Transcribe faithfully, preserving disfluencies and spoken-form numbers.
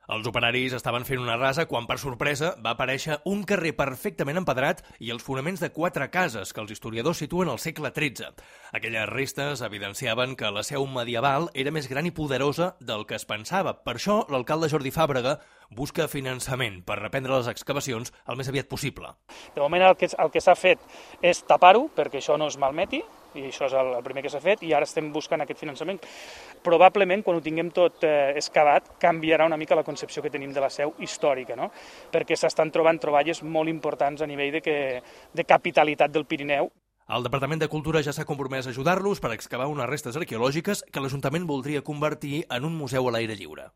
Els operaris estaven fent una rasa quan, per sorpresa, va aparèixer un carrer perfectament empedrat i els fonaments de quatre cases que els historiadors situen al segle tretze. Aquelles restes evidenciaven que la seu medieval era més gran i poderosa del que es pensava. Per això, l'alcalde Jordi Fàbrega busca finançament per reprendre les excavacions el més aviat possible. De moment el que, el que s'ha fet és tapar-ho perquè això no es malmeti, i això és el, el primer que s'ha fet, i ara estem buscant aquest finançament. Probablement, quan ho tinguem tot eh, excavat, canviarà una mica la concepció que tenim de la seu històrica, no? Perquè s'estan trobant troballes molt importants a nivell de, que, de capitalitat del Pirineu. El Departament de Cultura ja s'ha compromès a ajudar-los per excavar unes restes arqueològiques que l'Ajuntament voldria convertir en un museu a l'aire lliure.